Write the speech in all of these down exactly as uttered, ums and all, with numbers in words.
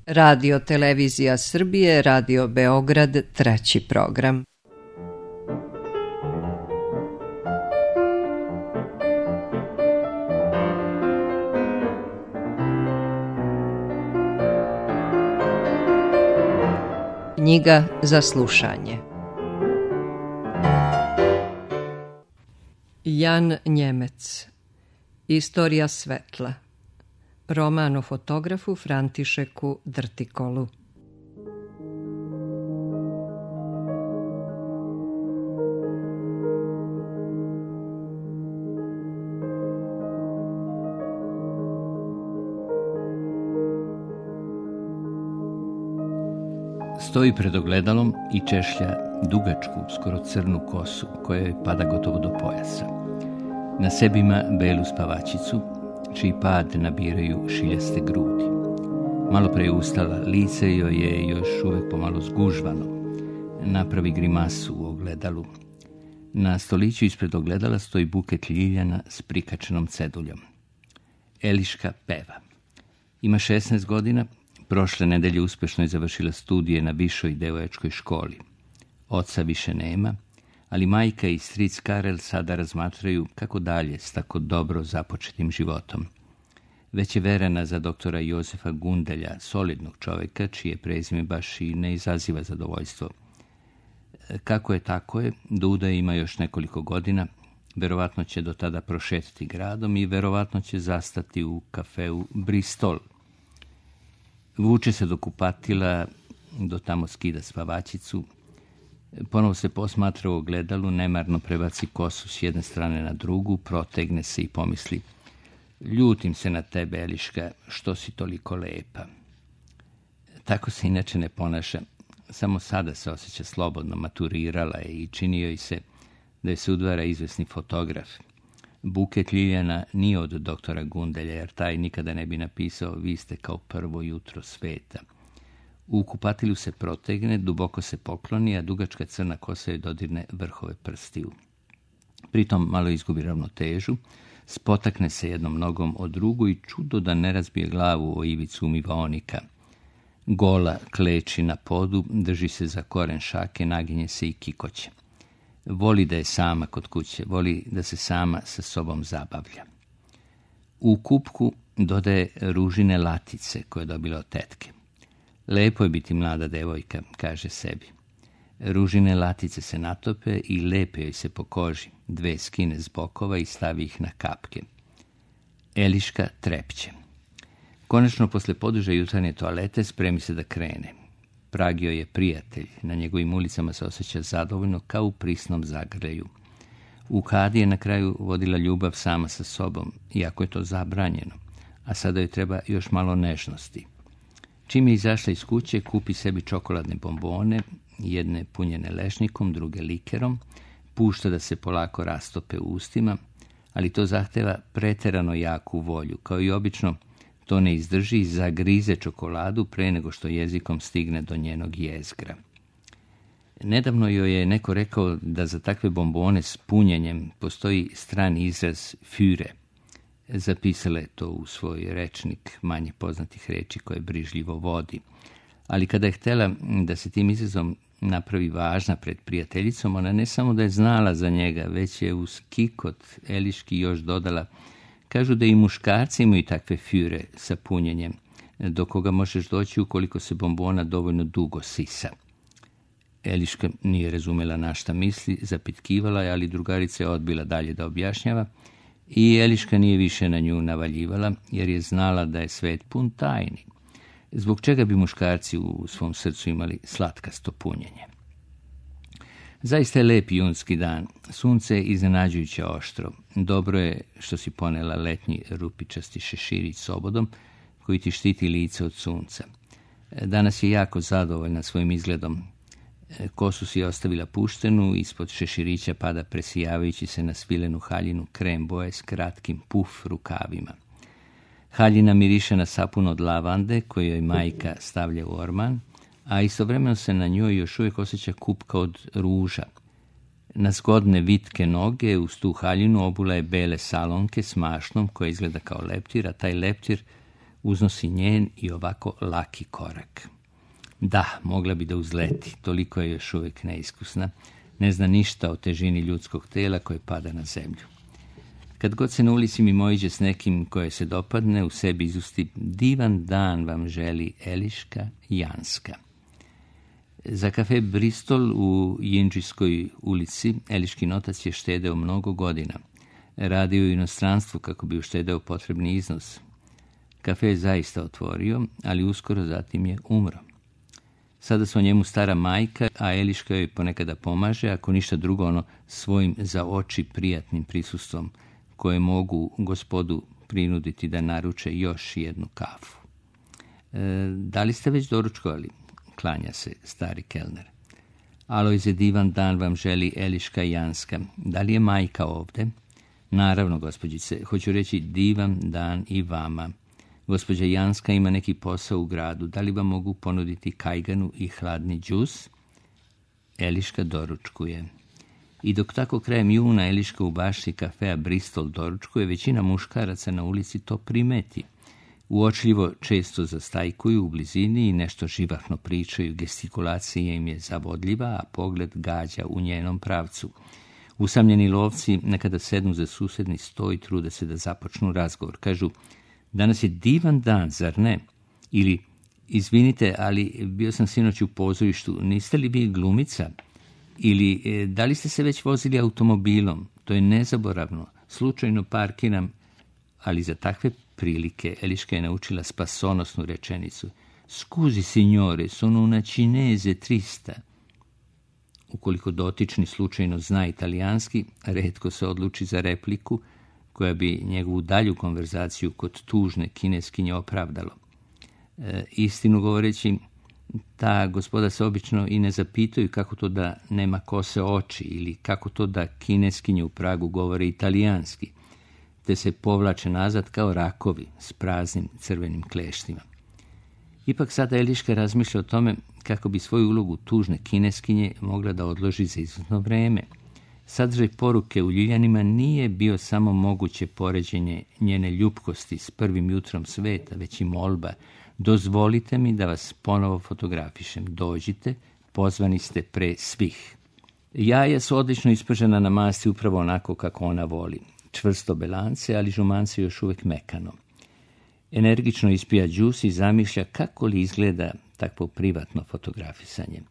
Radio Televizija Srbije, Radio Beograd, treći program. Knjiga za slušanje. Jan Njemec. Istorija svetla. Roman o fotografu Františeku Drtikolu. Stoji pred ogledalom i češlja dugačku, skoro crnu kosu, koja joj pada gotovo do pojasa. Na sebi ima belu spavačicu, čiji pad nabiraju šiljaste grudi. Malo pre je ustala, lice joj je još uvek pomalo zgužvano. Napravi grimasu u ogledalu. Na stoliću ispred ogledala stoji buket ljiljana s prikačenom ceduljom. Eliška peva. Ima šesnaest godina, prošle nedelje uspešno je završila studije na višoj devojačkoj školi. Oca više nema, ali majka i stric Karel sada razmatraju kako dalje s tako dobro započetim životom. Već je verena za doktora Jozefa Gundelja, solidnog čoveka, čije prezime baš i ne izaziva zadovoljstvo. Kako je tako je, do udaje ima još nekoliko godina, verovatno će do tada prošetiti gradom i verovatno će zastati u kafeu Bristol. Vuče se do kupatila, do tamo skida spavačicu, ponovo se posmatra u ogledalu, nemarno prebaci kosu s jedne strane na drugu, protegne se i pomisli: ljutim se na tebe, Eliška, što si toliko lepa. Tako se inače ne ponaša, samo sada se osjeća slobodno, maturirala je i čini joj se da je se udvara izvesni fotograf. Buket ljiljana nije od doktora Gundelja, jer taj nikada ne bi napisao: vi ste kao prvo jutro sveta. U kupatilu se protegne, duboko se pokloni, a dugačka crna kosa joj dodirne vrhove prstiju. Pritom malo izgubi ravnotežu, spotakne se jednom nogom o drugu i čudo da ne razbije glavu o ivicu umivaonika. Gola kleči na podu, drži se za koren šake, naginje se i kikoće. Voli da je sama kod kuće, voli da se sama sa sobom zabavlja. U kupku dodaje ružine latice koje je dobila od tetke. Lepo je biti mlada devojka, kaže sebi. Ružine latice se natope i lepe joj se po koži, dve skine s bokova i stavi ih na kapke. Eliška trepće. Konačno, posle poduže jutarnje toalete, spremi se da krene. Prag joj je prijatelj, na njegovim ulicama se osjeća zadovoljno kao u prisnom zagrljaju. U Kadi je na kraju vodila ljubav sama sa sobom, iako je to zabranjeno, a sada joj treba još malo nežnosti. Čim je izašla iz kuće, kupi sebi čokoladne bombone, jedne punjene lešnikom, druge likerom, pušta da se polako rastope u ustima, ali to zahteva preterano jaku volju. Kao i obično, to ne izdrži i zagrize čokoladu pre nego što jezikom stigne do njenog jezgra. Nedavno joj je neko rekao da za takve bombone s punjenjem postoji strani izraz füre. Zapisala je to u svoj rečnik manje poznatih reči koje brižljivo vodi. Ali kada je htjela da se tim izrazom napravi važna pred prijateljicom, ona ne samo da je znala za njega, već je uz kikot Eliški još dodala: kažu da i muškarci imaju takve füre sa punjenjem, do koga možeš doći ukoliko se bombona dovoljno dugo sisa. Eliška nije razumela na šta misli, zapitkivala je, ali drugarica je odbila dalje da objašnjava i Eliška nije više na nju navaljivala, jer je znala da je svet pun tajni. Zbog čega bi muškarci u svom srcu imali slatkasto punjenje? Zaista je lep junski dan. Sunce je iznenađujuće oštro. Dobro je što si ponela letnji rupičasti šeširić s obodom koji ti štiti lice od sunca. Danas je jako zadovoljna svojim izgledom. Kosu si je ostavila puštenu, ispod šeširića pada presijavajući se na svilenu haljinu krem boje s kratkim puf rukavima. Haljina miriše na sapun od lavande koju joj majka stavlja u orman, a istovremeno se na njoj još uvijek osjeća kupka od ruža. Na zgodne vitke noge uz tu haljinu obula je bele salonke s mašnom koja izgleda kao leptir, a taj leptir uznosi njen i ovako laki korak. Da, mogla bi da uzleti, toliko je još uvijek neiskusna, ne zna ništa o težini ljudskog tela koje pada na zemlju. Kad god se na ulici mimoiđe s nekim koje se dopadne, u sebi izusti divan dan vam želi Eliška Janska. Za kafe Bristol u Jinđijskoj ulici Eliškin otac je štedeo mnogo godina. Radio u inostranstvu kako bi uštedeo potrebni iznos. Kafe je zaista otvorio, ali uskoro zatim je umro. Sada su o njemu stara majka, a Eliška joj ponekada pomaže, ako ništa drugo ono svojim za oči prijatnim prisustvom, koje mogu gospodu prinuditi da naruče još jednu kafu. E, da li ste već doručkovali? Klanja se stari kelner. Alojze, divan dan vam želi Eliška Janska. Da li je majka ovde? Naravno, gospođice, hoću reći divan dan i vama. Gospođa Janska ima neki posao u gradu. Da li vam mogu ponuditi kajganu i hladni džus? Eliška doručkuje. I dok tako krajem juna Eliška u bašti kafea Bristol doručkuje, većina muškaraca na ulici to primeti. Uočljivo često zastajkuju u blizini i nešto živahno pričaju, gestikulacija im je zavodljiva, a pogled gađa u njenom pravcu. Usamljeni lovci nekada sednu za susedni sto i trude se da započnu razgovor. Kažu, danas je divan dan, zar ne? Ili, izvinite, ali bio sam sinoć u pozorištu, niste li vi glumica? Ili, da li ste se već vozili automobilom? To je nezaboravno. Slučajno parkiram, ali za takve prilike Eliška je naučila spasonosnu rečenicu. Scusi, signore, sono una cinese trista. Ukoliko dotični slučajno zna italijanski, retko se odluči za repliku koja bi njegovu dalju konverzaciju kod tužne kineskinje opravdalo. E, istinu govoreći, ta gospoda se obično i ne zapitaju kako to da nema kose oči ili kako to da kineskinje u Pragu govore italijanski, te se povlače nazad kao rakovi s praznim crvenim kleštima. Ipak sada Eliška razmišlja o tome kako bi svoju ulogu tužne kineskinje mogla da odloži za izvjesno vreme. Sadržaj poruke u Ljiljanima nije bio samo moguće poređenje njene ljupkosti s prvim jutrom sveta, već i molba. Dozvolite mi da vas ponovo fotografišem. Dođite, pozvani ste pre svih. Jaja su odlično ispržena na masti upravo onako kako ona voli. Čvrsto belance, ali žumance još uvijek mekano. Energično ispija džus i zamišlja kako li izgleda takvo privatno fotografisanje.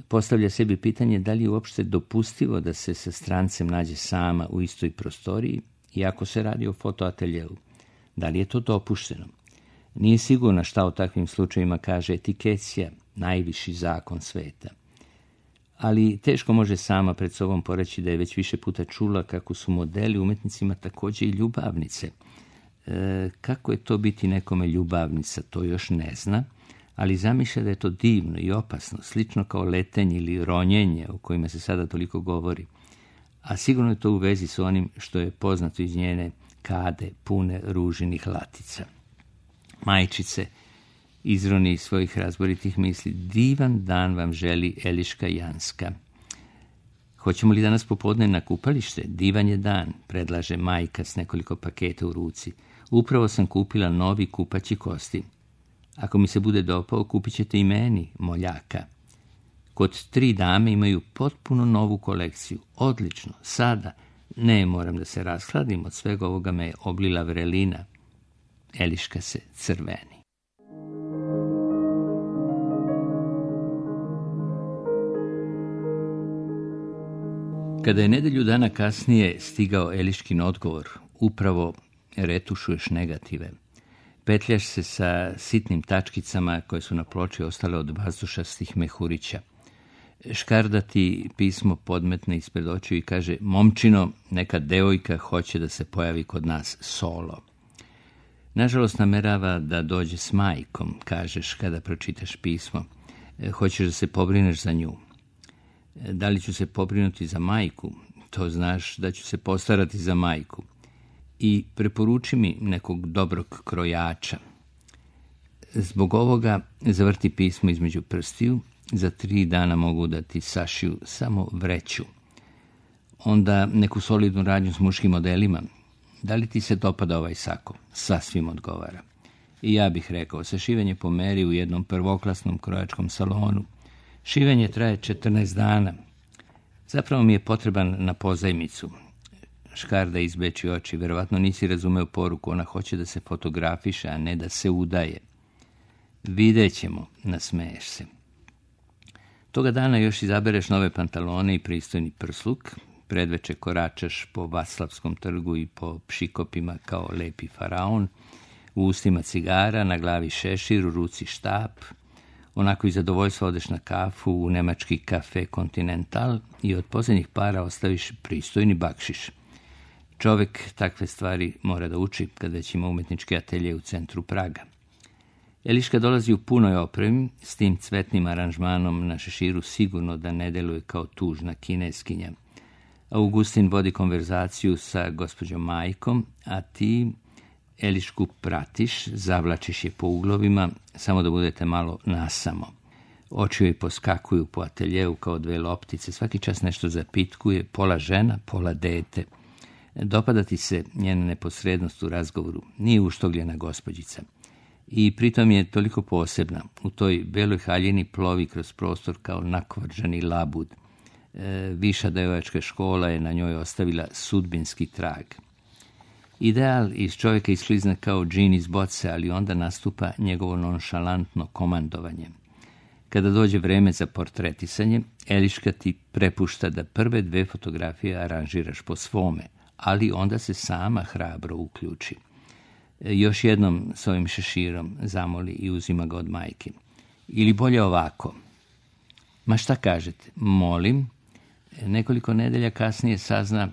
Postavlja sebi pitanje da li je uopšte dopustivo da se sa strancem nađe sama u istoj prostoriji, iako se radi o fotoateljeu. Da li je to dopušteno? Nije sigurna šta o takvim slučajima kaže etikecija, najviši zakon sveta. Ali teško može sama pred sobom poreći da je već više puta čula kako su modeli umetnicima također i ljubavnice. E, kako je to biti nekome ljubavnica, to još ne zna, ali zamišlja da je to divno i opasno, slično kao letenje ili ronjenje o kojima se sada toliko govori. A sigurno je to u vezi s onim što je poznato iz njene kade pune ružinih latica. Majčice, izroni iz svojih razboritih misli, divan dan vam želi Eliška Janska. Hoćemo li danas popodne na kupalište? Divan je dan, predlaže majka s nekoliko paketa u ruci. Upravo sam kupila novi kupaći kostim. Ako mi se bude dopao, kupit ćete i meni, moljaka. Kod tri dame imaju potpuno novu kolekciju. Odlično, sada. Ne, moram da se rashladim, od svega ovoga me je oblila vrelina. Eliška se crveni. Kada je nedelju dana kasnije stigao Eliškin odgovor, upravo retušuješ negative. Petljaš se sa sitnim tačkicama koje su na ploči ostale od vazdušastih mehurića. Škarda ti pismo podmetne ispred očiju i kaže, momčino, neka devojka hoće da se pojavi kod nas solo. Nažalost, namerava da dođe s majkom, kažeš kada pročitaš pismo. Hoćeš da se pobrineš za nju. Da li ću se pobrinuti za majku? To znaš da ću se postarati za majku. I preporuči mi nekog dobrog krojača. Zbog ovoga zavrti pismo između prstiju. Za tri dana mogu da ti sašiju samo vreću. Onda neku solidnu radnju s muškim modelima. Da li ti se dopada ovaj sako? Sasvim odgovara. I ja bih rekao, sašivanje po meri u jednom prvoklasnom krojačkom salonu. Šivenje traje četrnaest dana. Zapravo mi je potreban na pozajmicu. Škarda izbeči oči, verovatno nisi razumeo poruku, ona hoće da se fotografiše, a ne da se udaje. Vidjet ćemo, nasmeješ se. Toga dana još izabereš nove pantalone i pristojni prsluk, predveče koračaš po Vaclavskom trgu i po pšikopima kao lepi faraon, u ustima cigara, na glavi šešir, u ruci štap, onako i zadovoljstvo odeš na kafu u nemački kafe Continental i od posljednjih para ostaviš pristojni bakšiš. Čovjek takve stvari mora da uči kad već ima umetnički atelje u centru Praga. Eliška dolazi u punoj opremi, s tim cvetnim aranžmanom na šeširu sigurno da ne deluje kao tužna kineskinja. Augustin vodi konverzaciju sa gospođom Majkom, a ti Elišku pratiš, zavlačiš je po uglovima, samo da budete malo nasamo. Oči joj poskakuju po ateljeu kao dve loptice, svaki čas nešto zapitkuje, pola žena, pola dete. Dopada ti se njena neposrednost u razgovoru, nije uštogljena gospođica. I pritom je toliko posebna, u toj beloj haljini plovi kroz prostor kao nakvrđani labud. E, viša devojačka škola je na njoj ostavila sudbinski trag. Ideal iz čovjeka isklizne kao džin iz boce, ali onda nastupa njegovo nonšalantno komandovanje. Kada dođe vreme za portretisanje, Eliška ti prepušta da prve dve fotografije aranžiraš po svome, ali onda se sama hrabro uključi. Još jednom s ovim šeširom zamoli i uzima ga od majke. Ili bolje ovako. Ma šta kažete? Molim. Nekoliko nedelja kasnije sazna,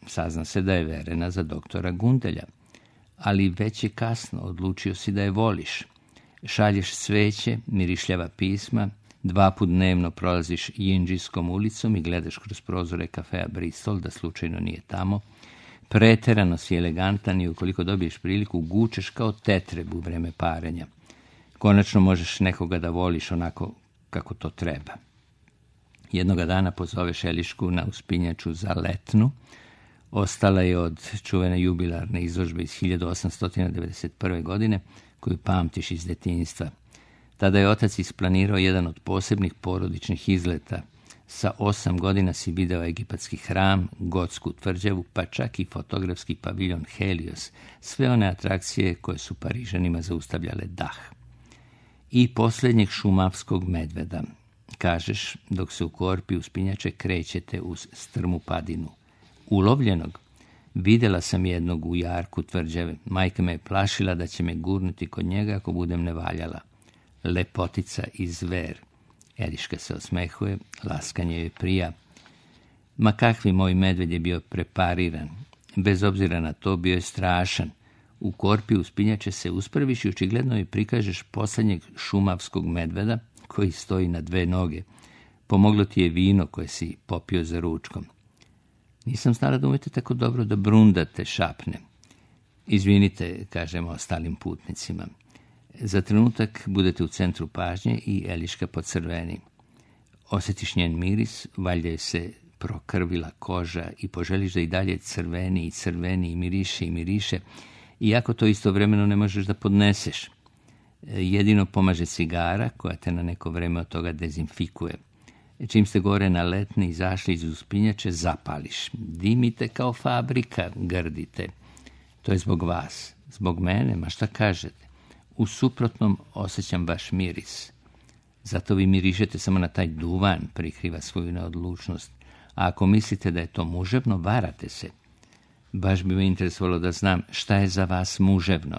sazna se da je verena za doktora Gundelja. Ali već je kasno, odlučio si da je voliš. Šalješ sveće, mirišljava pisma, dva put dnevno prolaziš Jinđijskom ulicom i gledaš kroz prozore kafea Bristol da slučajno nije tamo. Preterano si elegantan i ukoliko dobiješ priliku gučeš kao tetreb u vreme parenja. Konačno možeš nekoga da voliš onako kako to treba. Jednoga dana pozoveš Elišku na uspinjaču za letnu. Ostala je od čuvene jubilarne izložbe iz hiljadu osamsto devedeset prve. godine, koju pamtiš iz detinjstva. Tada je otac isplanirao jedan od posebnih porodičnih izleta. Sa osam godina si video egipatski hram, gotsku tvrđavu, pa čak i fotografski paviljon Helios, sve one atrakcije koje su Parižanima zaustavljale dah. I posljednjeg šumavskog medveda, kažeš, dok se u korpi uspinjače krećete uz strmu padinu. Ulovljenog? Vidjela sam jednog u jarku tvrđave. Majka me je plašila da će me gurnuti kod njega ako budem nevaljala. Lepotica i zver. Eliška se osmehuje, laskanje joj prija. Ma kakvi moj medved je bio prepariran. Bez obzira na to bio je strašan. U korpi uspinjače se uspraviš i očigledno joj prikažeš posljednjeg šumavskog medveda koji stoji na dve noge. Pomoglo ti je vino koje si popio za ručkom. Nisam znala da umete tako dobro da brundate, šapne. Izvinite, kažemo ostalim putnicima. Za trenutak budete u centru pažnje i Eliška pocrveni. Osjetiš njen miris, valjda je se prokrvila koža i poželiš da i dalje crveni i crveni i miriše i miriše, iako to istovremeno ne možeš da podneseš. Jedino pomaže cigara koja te na neko vreme od toga dezinfikuje. Čim ste gore na letni izašli iz uspinjače, zapališ. Dimite kao fabrika, grdite. To je zbog vas. Zbog mene, ma šta kažete? U suprotnom osjećam vaš miris. Zato vi mirišete samo na taj duvan, prikriva svoju neodlučnost. A ako mislite da je to muževno, varate se. Baš bi me interesovalo da znam šta je za vas muževno.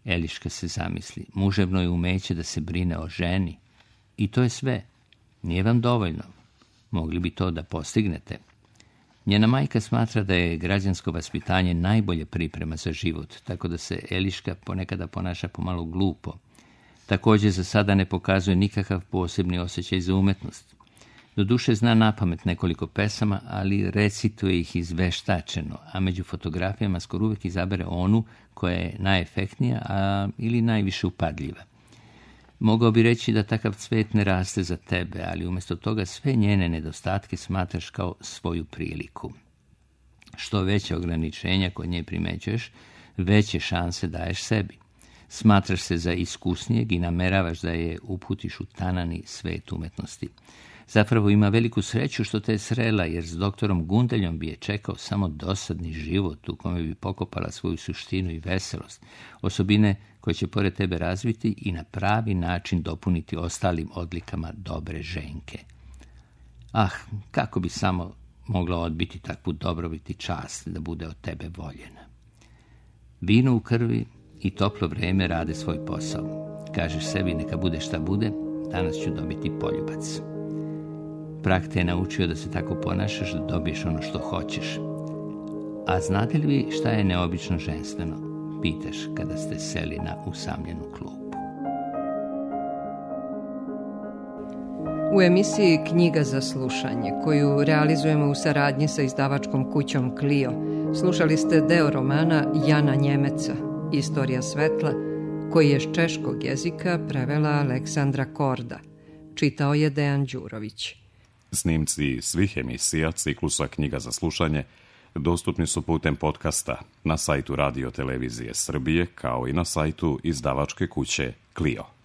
Eliška se zamisli. Muževno je umeće da se brine o ženi. I to je sve. Nije vam dovoljno. Mogli bi to da postignete. Njena majka smatra da je građansko vaspitanje najbolje priprema za život, tako da se Eliška ponekada ponaša pomalo glupo. Također za sada ne pokazuje nikakav posebni osjećaj za umetnost. Doduše zna napamet nekoliko pesama, ali recituje ih izveštačeno, a među fotografijama skoro uvijek izabere onu koja je najefektnija, a ili najviše upadljiva. Mogao bi reći da takav cvet ne raste za tebe, ali umjesto toga sve njene nedostatke smatraš kao svoju priliku. Što veće ograničenja kod nje primećuješ, veće šanse daješ sebi. Smatraš se za iskusnijeg i nameravaš da je uputiš u tanani svet umetnosti. Zapravo ima veliku sreću što te je srela, jer s doktorom Gundeljom bi je čekao samo dosadni život u kome bi pokopala svoju suštinu i veselost, osobine koje će pored tebe razviti i na pravi način dopuniti ostalim odlikama dobre ženke. Ah, kako bi samo mogla odbiti takvu dobrobit i čast da bude od tebe voljena. Vino u krvi i toplo vreme rade svoj posao. Kažeš sebi, neka bude šta bude, danas ću dobiti poljubac. Prag te je naučio da se tako ponašaš da dobiješ ono što hoćeš. A znate li vi šta je neobično ženstveno? Pitaš kada ste seli na usamljenu klupu. U emisiji Knjiga za slušanje, koju realizujemo u saradnji sa izdavačkom kućom Clio, slušali ste deo romana Jana Njemeca, Istorija svetla, koji je s češkog jezika prevela Aleksandra Korda. Čitao je Dejan Đurović. Snimci svih emisija ciklusa Knjiga za slušanje dostupni su putem podcasta na sajtu Radio Televizije Srbije, kao i na sajtu izdavačke kuće Clio.